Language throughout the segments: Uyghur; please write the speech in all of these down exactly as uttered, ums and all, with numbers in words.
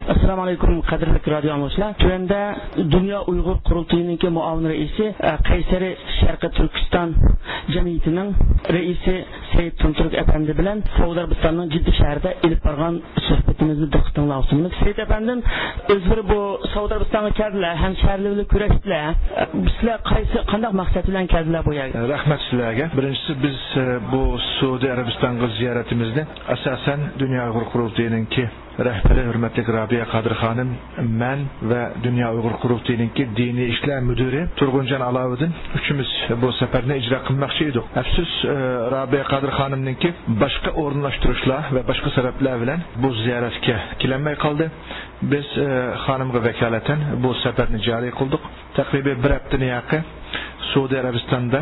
ئەسسالامۇ ئەلەيكۇم، قەدىرلىك رادىيو ئاڭلىغۇچىلار. تۆۋەندە دۇنيا ئۇيغۇر قۇرۇلتىيىنىڭكى مۇئاۋىن رەئىسى، ئە، قەيسەرى شەرقىي تۈركىستان جەمئىيىتىنىڭ رەئىسى سەيىد تۇنتۇرۇك ئەپەندى بىلەن سەئۇدى ئەرەبىستاننىڭ جىددە شەھىرىدە ئېلىپ بارغان سۆھبىتىمىزنى دىققىتىڭلارغا سۇنىمىز. سەيىد ئەپەندىم، ئۆزلىرى بۇ سەئۇدى ئەرەبىستانغا كەلدىلەر، ھەمشەھەرلىرى بىلەن كۆرۈشتىلەر. سىلەر قايسى، قانداق مەقسەت بىلەن كەلدىلەر بۇ يەرگە؟ رەھمەت سىلەرگە. بىرىنچىسى، بىز، ئە، بۇ سەئۇدى ئەرەبىستانغا زىيارىتىمىزنى ئاساسەن دۇنيا ئۇيغۇر قۇرۇلتىيىنىڭكى رەھبىرى ھۆرمەتلىك رابىيە قادىر خانىم، مەن ۋە دۇنيا ئۇيغۇر قۇرۇلتىيىنىڭكى دىنىي ئىشلار مۇدىرى تۇرغۇنجان ئالاۋۇدىن ئۈچىمىز بۇ سەپەرنى ئىجرا قىلماقچى ئىدۇق. ئەپسۇس، ئە، رابىيە قادىر خانىمنىڭكى باشقا ئورۇنلاشتۇرۇشلار ۋە باشقا سەۋەبلەر بىلەن بۇ زىيارەتكە كېلەلمەي قالدى. بىز، ئە، خانىمغا ۋاكالىتەن بۇ سەپەرنى جارى قىلدۇق. تەقرىبىي بىر ھەپتىنى ياقى سەئۇدى ئەرەبىستاندا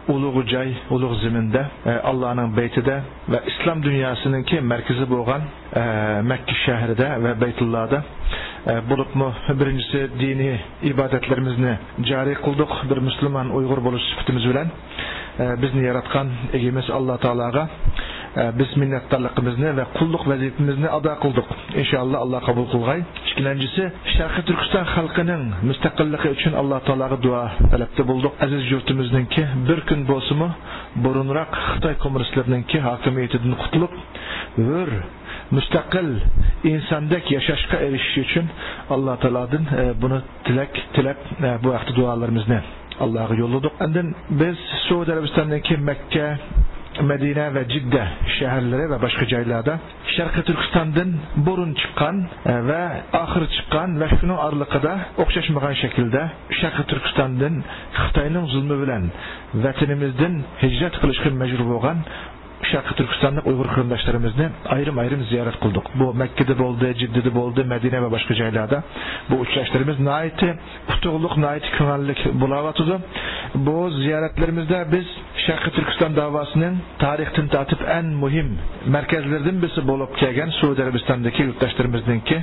ئۇلۇغ جاي، ئۇلۇغ زېمىندا، ئە، ئاللانىڭ بەيتىدە ۋە ئىسلام دۇنياسىنىڭكى مەركىزى بولغان، ئە، مەككە شەھىرىدە ۋە بەيتۇللادا، ئە، بولۇپمۇ بىرىنچىسى دىنىي ئىبادەتلىرىمىزنى جارى قىلدۇق. بىر مۇسۇلمان ئۇيغۇر بولۇش سۈپىتىمىز بىلەن، ئە، بىزنى ياراتقان ئىگىمىز ئاللا تائالاغا، ئە، بىز مىننەتدارلىقىمىزنى ۋە قۇللۇق ۋەزىپىمىزنى ئادا قىلدۇق. ئىنشائاللا، ئاللا قوبۇل قىلغاي. ئىككىنچىسى، شەرقىي تۈركىستان خەلقىنىڭ مۇستەقىللىقى ئۈچۈن ئاللا تائالاغا دۇئا تەلەپتە بولدۇق. ئەزىز يۇرتىمىزنىڭكى بىر كۈن بولسىمۇ بۇرۇنراق خىتاي كوممۇنىستلىرىنىڭكى ھاكىمىيىتىدىن قۇتۇلۇپ، ھۆر، مۇستەقىل، ئىنساندەك ياشاشقا ئېرىشىشى ئۈچۈن ئاللا تائالادىن، ئە، بۇنى تىلەك تىلەپ، ئە، بۇ ھەقتە دۇئالىرىمىزنى ئاللاغا يوللىدۇق. ئاندىن بىز سەئۇدى ئەرەبىستاننىڭكى مەككە، مەدىنە ۋە جىددە شەھەرلىرى ۋە باشقا جايلاردا شەرقىي تۈركىستاندىن بۇرۇن چىققان، ئە، ۋە ئاخىر چىققان ۋە شۇنىڭ ئارىلىقىدا ئوخشاشمىغان شەكىلدە شەرقىي تۈركىستاندىن خىتاينىڭ زۇلمى بىلەن ۋەتىنىمىزدىن ھىجرەت قىلىشقا مەجبۇر بولغان شەرقىي تۈركىستانلىق ئۇيغۇر قېرىنداشلىرىمىزنى ئايرىم-ئايرىم زىيارەت قىلدۇق. بۇ مەككىدە بولدى، جىددىدە بولدى، مەدىنە ۋە باشقا جايلاردا بۇ ئۇچراشلىرىمىز ناھايىتى ئۇتۇقلۇق، ناھايىتى كۆڭۈللۈك بولاۋاتىدۇ. بۇ زىيارەتلىرىمىزدە بىز شەرقىي تۈركىستان داۋاسىنىڭ تارىختىن تارتىپ ئەڭ مۇھىم مەركەزلىرىدىن بىرسى بولۇپ كەلگەن سەئۇدى ئەرەبىستاندىكى يۇرتداشلىرىمىزنىڭكى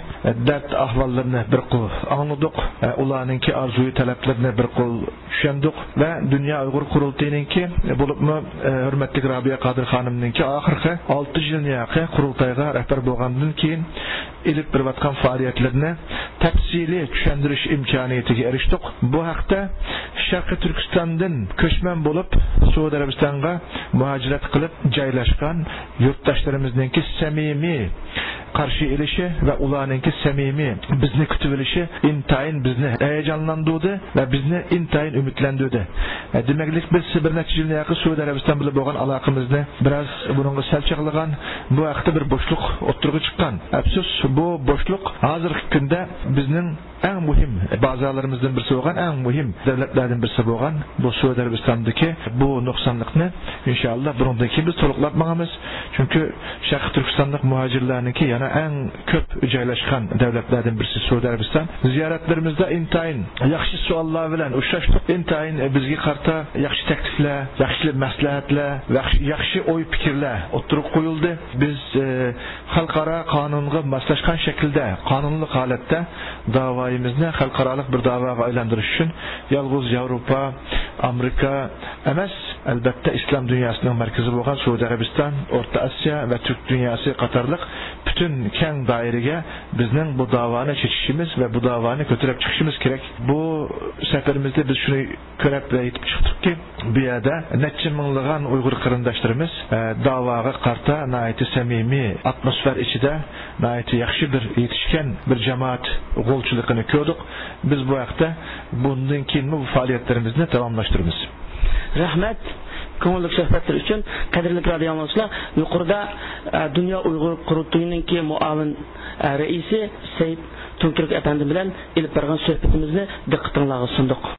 دەرد ئەھۋاللىرىنى بىر قول ئاڭلىدۇق، ئۇلارنىڭكى ئارزۇيى تەلەپلىرىنى بىر قول چۈشەندۇق ۋە دۇنيا ئۇيغۇر قۇرۇلتىيىنىڭكى، بولۇپمۇ، ئە، ھۆرمەتلىك رابىيە قادىر خانىمنىڭكى ئاخىرقى ئالتە يىلنى ياقى قۇرۇلتايغا رەھبەر بولغاندىن كېيىن ئېلىپ بېرىۋاتقان پائالىيەتلىرىنى تەپسىلىي چۈشەندۈرۈش ئىمكانىيىتىگە ئېرىشتۇق. بۇ ھەقتە شەرقىي تۈركىستاندىن كۆچمەن بولۇپ سەئۇدى ئەرەبىستانغا مۇھاجىرەت قىلىپ جايلاشقان يۇرتداشلىرىمىزنىڭكى سەمىمىي قارشى ئېلىشى ۋە ئۇلارنىڭكى سەمىمىي بىزنى كۈتۈۋېلىشى ئىنتايىن بىزنى ھەيىجانلاندۇردى ۋە بىزنى ئىنتايىن ئۈمىدلەندۈردى. ئە، دېمەكلىك، بىز بىر نەچچە يىلنى ياقى سەئۇدى ئەرەبىستان بىلەن بولغان ئالاقىمىزنى بىراز بۇنىڭغا سەل چاغلىغان، بۇ ھەقتە بىر بوشلۇق ئوتتۇرىغا چىققان. ئەپسۇس، بۇ بوشلۇق ھازىرقى كۈندە بىزنىڭ ئەڭ مۇھىم بازارلىرىمىزدىن بىرسى بولغان، ئەڭ مۇھىم دۆلەتلەردىن بىرسى بولغان بۇ سەئۇدى ئەرەبىستاندىكى بۇ نۇقسانلىقنى ئىنشائاللا بۇنىڭدىن كېيىن بىز تولۇقلاپ ماڭىمىز. چۈنكى شەرقىي تۈركىستانلىق مۇھاجىرلارنىڭكى يەنە ئەڭ كۆپ جايلاشقان دۆلەتلەردىن بىرسى سەئۇدى ئەرەبىستان. زىيارەتلىرىمىزدە ئىنتايىن ياخشى سوئاللار بىلەن ئۇچراشتۇق. ئىنتايىن بىزگە قارىتا ياخشى تەكلىپلەر، ياخشى مەسلىھەتلەر، ياخشى، ياخشى ئوي پىكىرلەر ئوتتۇرىغا قويۇلدى. بىز، ئە، خەلقئارا قانۇنغا ماسلاشقان شەكىلدە، قانۇنلۇق ھالەتتە داۋايىمىزنى خەلقئارالىق بىر داۋاغا ئايلاندۇرۇش ئۈچۈن يالغۇز ياۋروپا، ئامېرىكا ئەمەس، ئەلبەتتە، ئىسلام دۇنياسىنىڭ مەركىزى بولغان سەئۇدى ئەرەبىستان، ئورتا ئاسىيا ۋە تۈرك دۇنياسى قاتارلىق پۈتۈن كەڭ دائىرىگە بىزنىڭ بۇ داۋانى چېچىشىمىز ۋە بۇ داۋانى كۆتۈرۈپ چىقىشىمىز كېرەك. بۇ سەپىرىمىزدە بىز شۇنى كۆرۈپ ۋە يېتىپ چىقتۇقكى، بۇ يەردە نەچچە مىڭلىغان ئۇيغۇر قېرىنداشلىرىمىز، ئە، داۋاغا قارىتا ناھايىتى سەمىمىي ئاتموسفېرا ئىچىدە ناھايىتى ياخشى بىر يېتىشكەن بىر جامائەت غولچىلىقىنى كۆردۇق. بىز بۇ ھەقتە بۇندىن كېيىنمۇ بۇ پائالىيەتلىرىمىزنى داۋاملاشتۇرىمىز. رەھمەت، كۆڭۈللۈك سۆھبەتلەر ئۈچۈن. قەدىرلىك رادىيو ئاڭلىغۇچىلار، يۇقىرىدا، ئە، دۇنيا ئۇيغۇر قۇرۇلتىيىنىڭكى مۇئاۋىن، ئە، رەئىسى سەيىد تۇنتۇرۇك ئەپەندى بىلەن ئېلىپ بارغان سۆھبىتىمىزنى دىققىتىڭلارغا سۇندۇق.